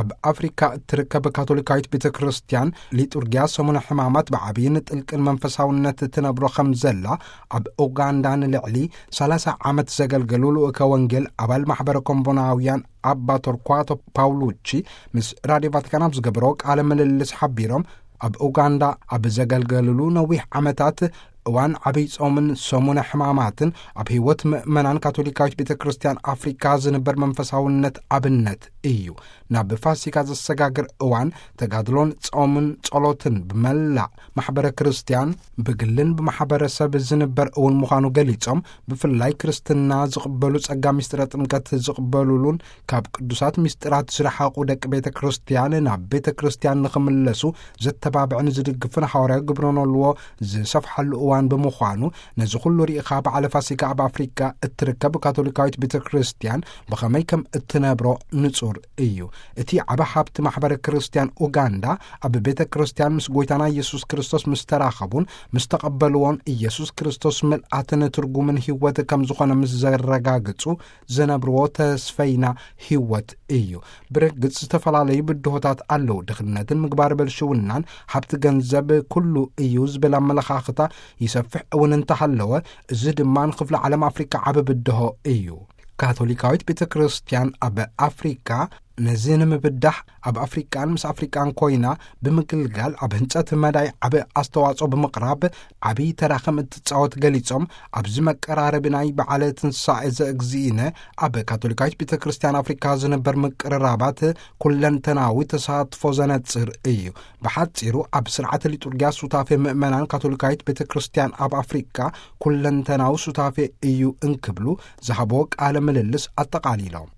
ኣብ ኣፍሪካ እትርከብ ካቶሊካዊት ቤተ ክርስቲያን ሊጡርጊያ ሰሙነ ሕማማት ብዓብይን ጥልቅን መንፈሳውነት ትነብሮ ከም ዘላ፣ ኣብ ኡጋንዳ ንልዕሊ ሰላሳ ዓመት ዘገልገሉ ልኡከ ወንጌል ኣባል ማሕበረ ኮምቦናውያን ኣባ ቶርኳቶ ፓውሉቺ ምስ ራድዮ ቫቲካን ኣብ ዝገበሮ ቃለ ምልልስ ሓቢሮም፣ ኣብ ኡጋንዳ ኣብ ዘገልገልሉ ነዊሕ ዓመታት እዋን ዓብይ ጾምን ሰሙነ ሕማማትን ኣብ ህይወት ምእመናን ካቶሊካዊት ቤተ ክርስቲያን ኣፍሪካ ዝንበር መንፈሳውነት ኣብነት እዩ። ናብ ፋሲካ ዘሰጋግር እዋን ተጋድሎን ጾምን ጸሎትን ብመላእ ማሕበረ ክርስቲያን ብግልን ብማሕበረሰብ ዝንበር እውን ምዃኑ ገሊጾም፣ ብፍላይ ክርስትና ዝቕበሉ ጸጋ ምስጢረ ጥምቀት ዝቕበሉሉን ካብ ቅዱሳት ምስጢራት ዝረሓቑ ደቂ ቤተ ክርስቲያን ናብ ቤተ ክርስቲያን ንኽምለሱ ዘተባብዕን ዝድግፍን ሓዋርያዊ ግብረ ኖልዎ ዝሰፍሓሉ እዋን ብምዃኑ፣ ነዚ ኩሉ ርኢኻ በዓለ ፋሲካ ኣብ ኣፍሪካ እትርከብ ካቶሊካዊት ቤተ ክርስቲያን ብኸመይ ከም እትነብሮ ንጹር እዩ። እቲ ዓቢ ሃብቲ ማሕበረ ክርስቲያን ኡጋንዳ ኣብ ቤተ ክርስቲያን ምስ ጎይታና ኢየሱስ ክርስቶስ ምስ ተራኸቡን ምስ ተቐበልዎን፣ ኢየሱስ ክርስቶስ ምልኣትን ትርጉምን ህይወት ከም ዝኾነ ምስ ዘረጋግጹ፣ ዘነብርዎ ተስፈይና ህይወት እዩ። ብርግጽ ዝተፈላለዩ ብድሆታት ኣለዉ። ድኽነትን ምግባር በልሽውናን፣ ሃብቲ ገንዘብ ኩሉ እዩ ዝብል ኣመለኻኽታ ይሰፍሕ እውን እንተሃለወ፣ እዚ ድማ ንክፍለ ዓለም ኣፍሪካ ዓቢ ብድሆ እዩ። ካቶሊካዊት ቤተ ክርስቲያን ኣብ ኣፍሪካ ነዚ ንምብዳህ፣ ኣብ ኣፍሪቃን ምስ ኣፍሪቃን ኮይና ብምግልጋል ኣብ ህንጸት መዳይ ዓቢ ኣስተዋጽኦ ብምቕራብ ዓቢ ተራ ከም እትጻወት ገሊጾም፣ ኣብዚ መቀራረቢ ናይ በዓለ ትንሳኤ ዘእግዚእነ ኣብ ካቶሊካዊት ቤተ ክርስቲያን ኣፍሪካ ዝነበር ምቅርራባት ኩለንተናዊ ተሳትፎ ዘነጽር እዩ። ብሓጺሩ ኣብ ስርዓተ ሊጡርጊያ ሱታፌ ምእመናን ካቶሊካዊት ቤተ ክርስቲያን ኣብ ኣፍሪካ ኩለንተናዊ ሱታፌ እዩ እንክብሉ ዝሃቦ ቃለ ምልልስ ኣጠቓሊሎም።